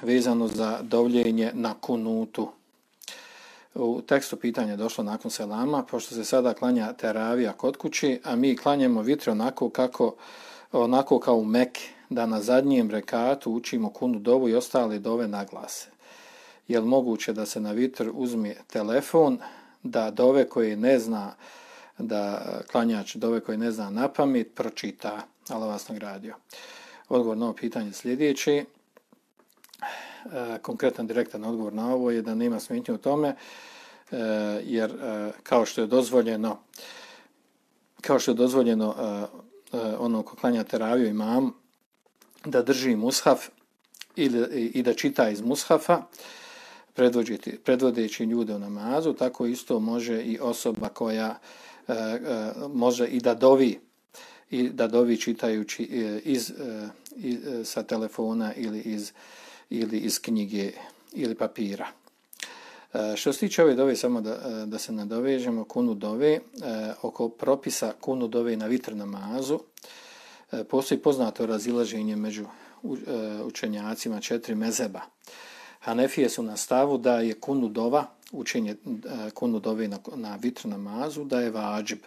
vezano za dovljenje na kunutu. U tekstu pitanja je došlo nakon selama, pošto se sada klanja teravija kod kući, a mi klanjamo vitr onako kao u Meki, da na zadnjem rekatu učimo kunu dovu i ostale dove naglase. Je li moguće da se na vitr uzme telefon, da dove koje ne zna, da klanjač dove koje ne zna na pamet pročita? Allah vas nagradio. Odgovor na ovo pitanje sljedeći. Konkretan direktan odgovor na ovo je da nema smetnje u tome, jer kao što je dozvoljeno ono ko klanja teraviju imamu da drži mushaf i da čita iz mushafa predvodeći ljude u namazu, tako isto može i osoba koja može i da dovi čitajući sa telefona ili iz knjige ili papira. Što se tiče ove dove, samo da se nadovežemo, kunu dove, oko propisa kunu dove na vitr namazu, postoji poznato razilaženje među učenjacima 4 mezheba. Hanefije su na stavu da je kunu dova, učenje kunu dove na vitr namazu, da je vađib,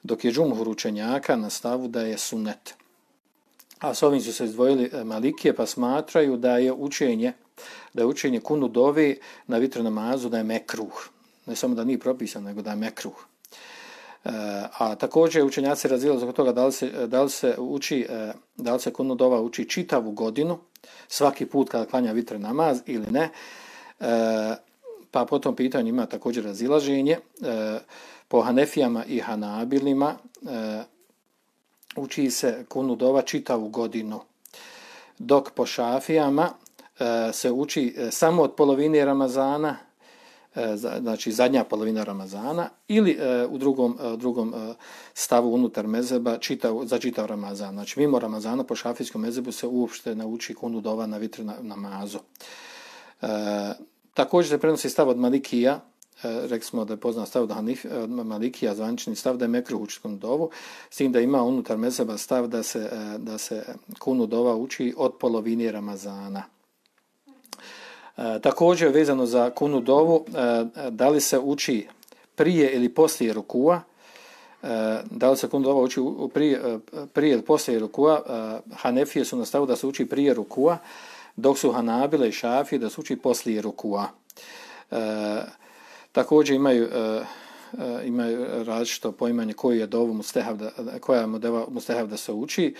dok je džumhur učenjaka na stavu da je sunnet. A s ovim su se izdvojili Malikije, pa smatraju da je učenje kunu dove na vitr namazu da je mekruh. Ne samo da nije propisan, nego da je mekruh. A također učenjaci razilaze oko toga da li se kunu dova uči čitavu godinu, svaki put kada klanja vitr namaz ili ne. Pa po tom pitanju ima također razilaženje. Po Hanefijama i Hanabilima uči se kunu dova čitavu godinu, dok po Šafijama se uči samo od polovine Ramazana, znači zadnja polovina Ramazana, ili u drugom stavu unutar mezheba za čitav Ramazan. Znači mimo Ramazana po šafijskom mezhebu se uopšte ne uči kunu dova na vitr namazu. Također se prenosi stav od Malikija, rekli smo da je poznat stav od Malikija, zvanični stav da je mekruh učiti kunu dovu, s tim da ima unutar mezheba stav da se kunu dova uči od polovine Ramazana. Također vezano za kunu dovu, da li se uči prije ili poslije rukua, da li se kunu dova uči prije ili poslije rukua, Hanefije su na stavu da se uči prije rukua, dok su Hanabile i Šafije da se uči poslije rukua. Također imaju različito poimanje koji je dovu koja je dova mustehab da se uči,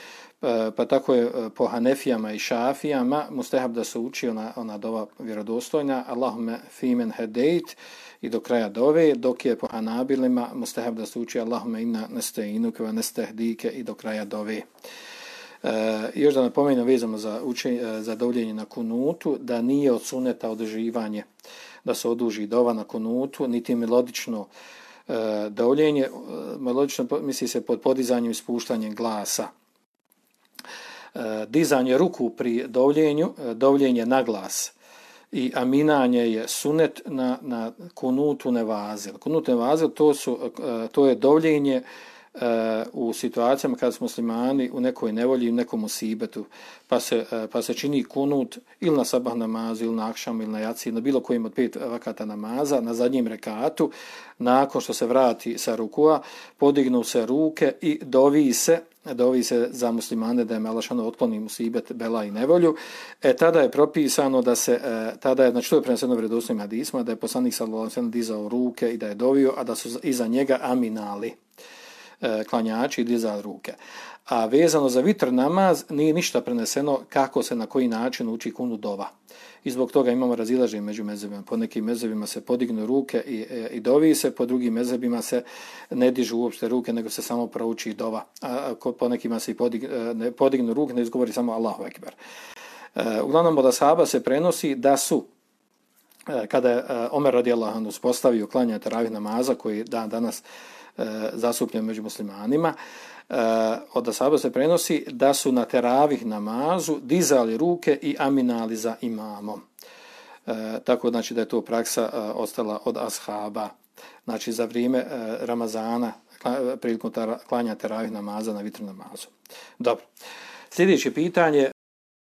pa tako je po Hanefijama i Šafijama mustehab da se uči ona dova vjerodostojna Allahume fimen hedejt i do kraja dove, dok je po Hanabilima mustehab da se uči Allahume inna nesteinuke wa nestehdike i do kraja dove. Još da napomenem vezano za dovljenje na kunutu, da nije od suneta održivanje da se oduži dova na kunutu, niti melodično dovljenje. Melodično misli se pod podizanjem i spuštanjem glasa. Dizanje ruku pri dovljenje na glas i aminanje je sunet na kunutu nevazil. Kunut nevazil to je dovljenje u situacijama kada su muslimani u nekoj nevolji, u nekom musibetu, pa se čini kunut ili na sabah namazu, ili na akšam, ili na jaci, na bilo kojim od 5 vakata namaza, na zadnjem rekatu, nakon što se vrati sa rukua, podignu se ruke i dovi se za muslimane da je Melašano otkloni musibet, bela i nevolju. Tada je propisano znači to je preneseno vjerodostojnim hadisima, da je poslanik sallallahu alejhi ve sellem dizao ruke i da je dovio, a da su iza njega aminali klanjači i dizali ruke. A vezano za vitr namaz nije ništa preneseno kako se na koji način uči kunu dova. I zbog toga imamo razilaženje među mezhebima. Po nekim mezhebima se podignu ruke i dovi se, po drugim mezhebima se ne dižu uopšte ruke, nego se samo prouči dova. A po nekima se ne podignu ruke, ne izgovori samo Allahu ekber. Uglavnom od ashaba se prenosi da su kada je Omer radijallahu anhu uspostavio klanjanje teravih namaza koji dan danas zastupljen među muslimanima, od ashaba se prenosi da su na teravih namazu dizali ruke i aminali za imamom. Tako znači da je to praksa ostala od ashaba. Znači za vrijeme Ramazana prilikom klanja teravih namaza na vitr namazu. Dobro. Sljedeće pitanje